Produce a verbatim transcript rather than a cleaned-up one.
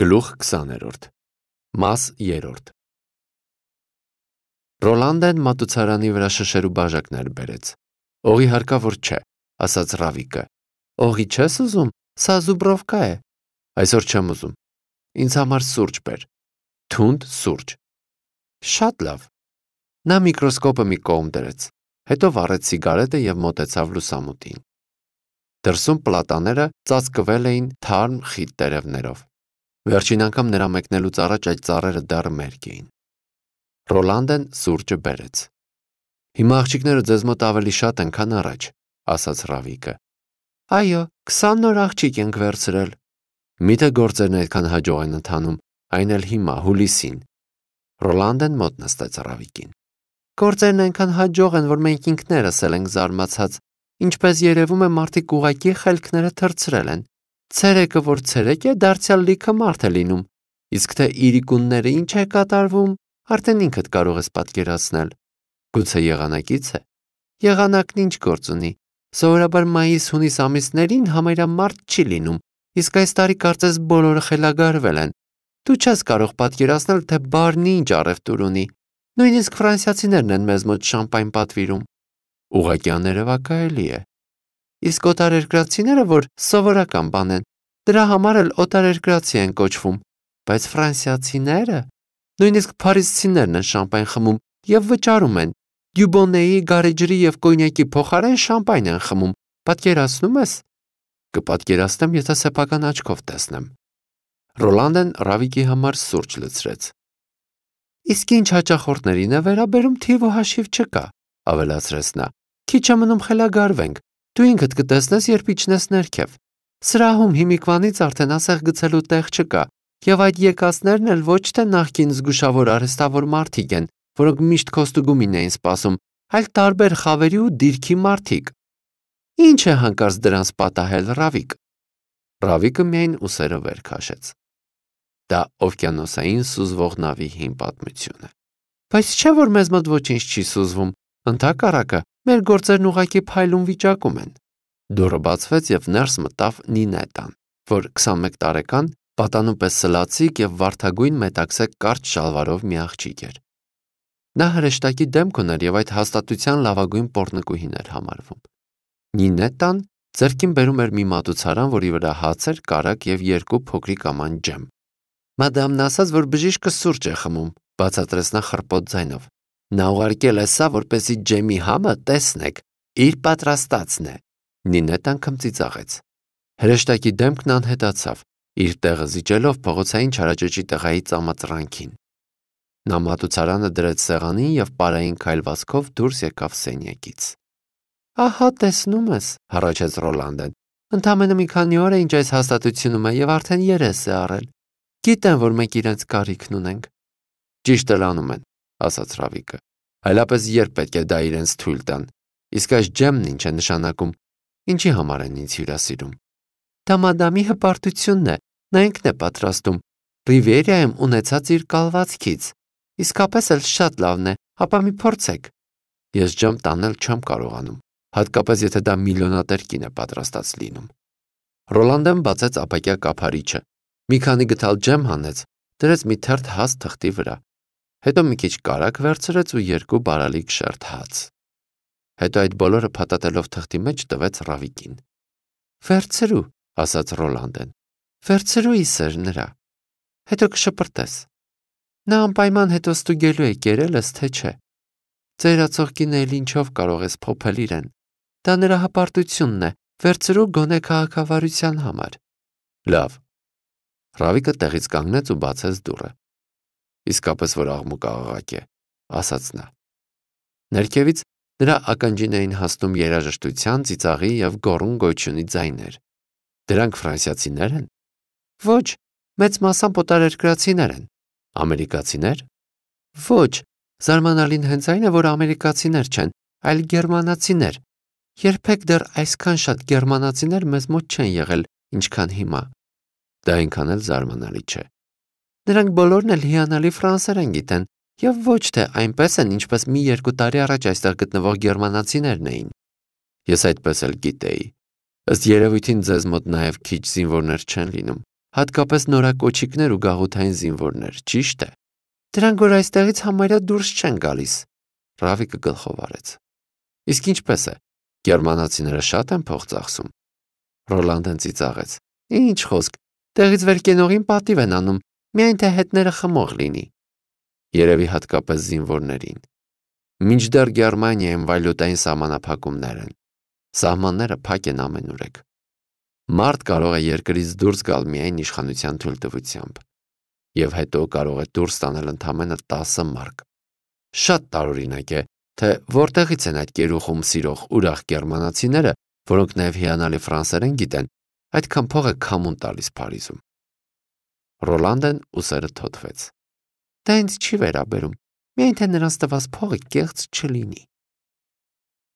Գլուխ քսաներորդ Մաս երրորդ Ռոլանդեն մատուցարանի վրա շշերու բաժակներ բերեց։ Օղի հարկավոր չէ, ասաց Ռավիկը։ Օղի չես ուզում, սա զուբրովկա է։ Այսօր չեմ ուզում։ Ինձ համար սուրճ բեր։ Թունդ սուրճ։ Շատ լավ։ Նա միկրոսկոպը մի կողմ դրեց, հետո վառեց սիգարետը և մոտեցավ լուսամուտին։ Դրսում պլատաները ծածկվել էին թարմ խիտ տերևներով։ Վերջին անգամ նրա մեկնելուց առաջ այդ ծառերը դեռ մերկ էին։ Ռոլանդեն սուրճը բերեց։ Հիմա աղջիկները ձեզ մոտ ավելի շատ են, քան առաջ, ասաց Ռավիկը։ Այո, քսան նոր աղջիկ ենք վերցրել։ Միթե գործերն այդքան հաջող են ընթանում, այն էլ հիմա, հուլիսին։ Ռոլանդեն մոտ նստեց Ռավիկին։ Գործերն այնքան հաջող են, որ մենք ինքներս էլ ենք զարմացած, ինչպես երևում է մարդիկ ուղղակի խելքները թռցրել են։ Ցերեկը, որ ցերեկ է, դարձյալ լիքը մարդ է լինում, իսկ թե իրիկունները ինչ է կատարվում, արդեն ինքդ կարող ես պատկերացնել։ Գուցե եղանակից է։ Եղանակն ինչ գործ ունի։ Սովորաբար մայիս-հունիս ամիսներին համարյա մարդ չի լինում, իսկ այս տարի կարծես բոլորը խելագարվել են։ Դու չես կարող պատկերացնել, թե բառն ինչ առևտուր ունի։ Նույնիսկ ֆրանսիացիներն են մեզ մոտ շամպայն պատվիրում։ Ուղղակի աներևակայելի է։ Իսկ օտարերկրացիները, որ սովորական բան են, դրա համար էլ օտարերկրացի են կոչվում, բայց ֆրանսիացիները, նույնիսկ փարիզցիներն են շամպայն խմում և վճարում են, դյուբոնեի, գարեջրի և կոնյակի փոխարեն շամպայն են խմում, պատկերացնում ես։ Կպատկերացնեմ, եթե սեփական աչքով տեսնեմ։ Ռոլանդեն Ռավիկի համար սուրճ լցրեց։ Իսկ ինչ հաճախորդներին է վերաբերում, թիվ ու հաշիվ չկա, ավելացրեց նա։ Քիչ է մնում խելագարվենք, դու ինքդ կտեսնես, երբ իջնես ներքև։ Սրահում հիմիկվանից արդեն ասեղ գցելու տեղ չկա, և այդ եկածներն էլ ոչ թե նախկին զգուշավոր արհեստավոր մարդիկ են, որոնք միշտ քոստուգումին էին սպասում, այլ տարբեր խավերի ու դիրքի մարդիկ։ Ինչ է հանկարծ դրանց պատահել, Ռավիկ։ Ռավիկը միայն ուսերը վեր քաշեց։ Դա օվկիանոսային սուզվող նավի հին պատմություն է։ Բայց չէ՞ որ մեզ մոտ ոչինչ չի սուզվում, ընդհակառակը, մեր գործերն ուղղակի փայլուն վիճակում են։ Դուռը բացվեց և ներս մտավ Նինետան, որ քսանմեկ տարեկան, պատանու պես սլացիկ և վարդագույն մետաքսե կարճ շալվարով մի աղջիկ էր։ Նա հրեշտակի դեմք ուներ և այդ հաստատության լավագույն պոռնկուհին էր համարվում։ Նինետան ձեռքին բերում էր մի մատուցարան, որի վրա հաց էր, կարագ և երկու փոքրիկ աման ջեմ։ Մադամն ասաց, որ բժիշկը սուրճ է խմում, բացատրեց նա խռպոտ ձայնով։ Նա ուղարկել է սա, որպեսզի ջեմի համը տեսնեք, իր պատրաստածն է։ Նինետան քմծիծաղեց։ Հրեշտակի դեմքն անհետացավ, իր տեղը զիջելով փողոցային չարաճճի տղայի ծամածրանքին։ Նա մատուցարանը դրեց սեղանին և պարային քայլվածքով դուրս եկավ սենյակից։ Ահա տեսնում ես, հառաչեց Ռոլանդեն։ Ընդամենը մի քանի օր է, ինչ այս հաստատությունում է և արդեն երես է առել։ Գիտեն, որ մենք իրենց կարիքն ունենք։ Ճիշտ էլ անում են, ասաց Ռավիկը։ Այլապես երբ պետք է դա իրենց թույլ տան։ Իսկ այս ջեմն ինչ է նշանակում։ Ինչի համար են ինձ հյուրասիրում։ Դա մադամի հպարտությունն է, նա ինքն է պատրաստում։ Ռիվիերայում ունեցած իր կալվածքից։ Իսկապես էլ շատ լավն է, ապա մի փորձեք։ Ես ջեմ տանել չեմ կարողանում, հատկապես եթե դա միլիոնատեր կին է պատրաստած լինում։ Ռոլանդեն բացեց ապակյա կափարիչը, մի քանի գթալ ջեմ հանեց, դրեց մի թերթ հաց թղթի վրա, հետո մի քիչ կարագ վերցրեց ու երկու բարալիկ շերտ հաց։ Հետո այդ բոլորը փաթաթելով թղթի մեջ տվեց Ռավիկին։ Վերցրու, ասաց Ռոլանդեն։ Վերցրու իսեր նրա։ Հետո կշպրտես։ Նա անպայման հետո ստուգելու է կերել ես, թե չէ։ Ծերացող կինը էլ ինչով կարող ես փոփել իրեն։ Դա նրա հպարտությունն է, վերցրու գոնե քաղաքավարության համար։ Լավ։ Ռավիկը տեղից կանգնեց ու բացեց դուռը։ Իսկապես որ աղմուկ աղաղակ է, ասաց նա։ Ներքևից նրա ականջին էին հասնում երաժշտության, ծիծաղի և գոռում գոյությունի ձայներ։ Դրանք ֆրանսիացիներ են։ Ոչ, մեծ մասամբ օտարերկրացիներ են։ Ամերիկացիներ։ Ոչ, զարմանալին հենց այն է, որ ամերիկացիներ չեն, այլ գերմանացիներ։ Երբեք դեռ այսքան շատ գերմանացիներ մեզ մոտ չեն եղել, ինչքան հիմա։ Դա այնքան էլ զարմանալի չէ։ Նրանք բոլորն էլ հիանալի ֆրանսերեն գիտեն, և ոչ թե այնպես են, ինչպես մի երկու տարի առաջ այստեղ գտնվող գերմանացիներն էին։ Ես այդպես էլ գիտեի։ Ըստ երևույթին ձեզ մոտ նաև քիչ զինվորներ չեն լինում, հատկապես նորակոչիկներ ու գաղութային զինվորներ, ճիշտ է։ Դրանք որ այստեղից համարյա դուրս չեն գալիս, Ռավիկը գլխով արեց։ Իսկ ինչպես է, գերմանացիները շատ են փող ծախսում։ Ռոլանդեն ծիծաղեց։ Ինչ խոսք, տեղից վեր կենողին պատիվ են անում, միայն թե հետները խմող լինի։ Երևի հատկապես զինվորներին։ Մինչդեռ Գերմանիայում վայլուտային սահմանափակումներ են։ Սահմանները փակ են ամենուրեք։ Մարդ կարող է երկրից դուրս գալ միայն իշխանության թույլտվությամբ, եւ հետո կարող է դուրս տանել ընդամենը տասը մարկ։ Շատ տարօրինակ է, թե որտեղից են այդ կերուխում սիրող ուրախ գերմանացիները, որոնք նաև հիանալի ֆրանսերեն գիտեն, այդքան փող է քամուն տալիս Փարիզում։ Ռոլանդեն ուսերը թոթվեց։ Դա ինձ չի վերաբերում, միայն թե նրանց տված փողը կեղծ չլինի։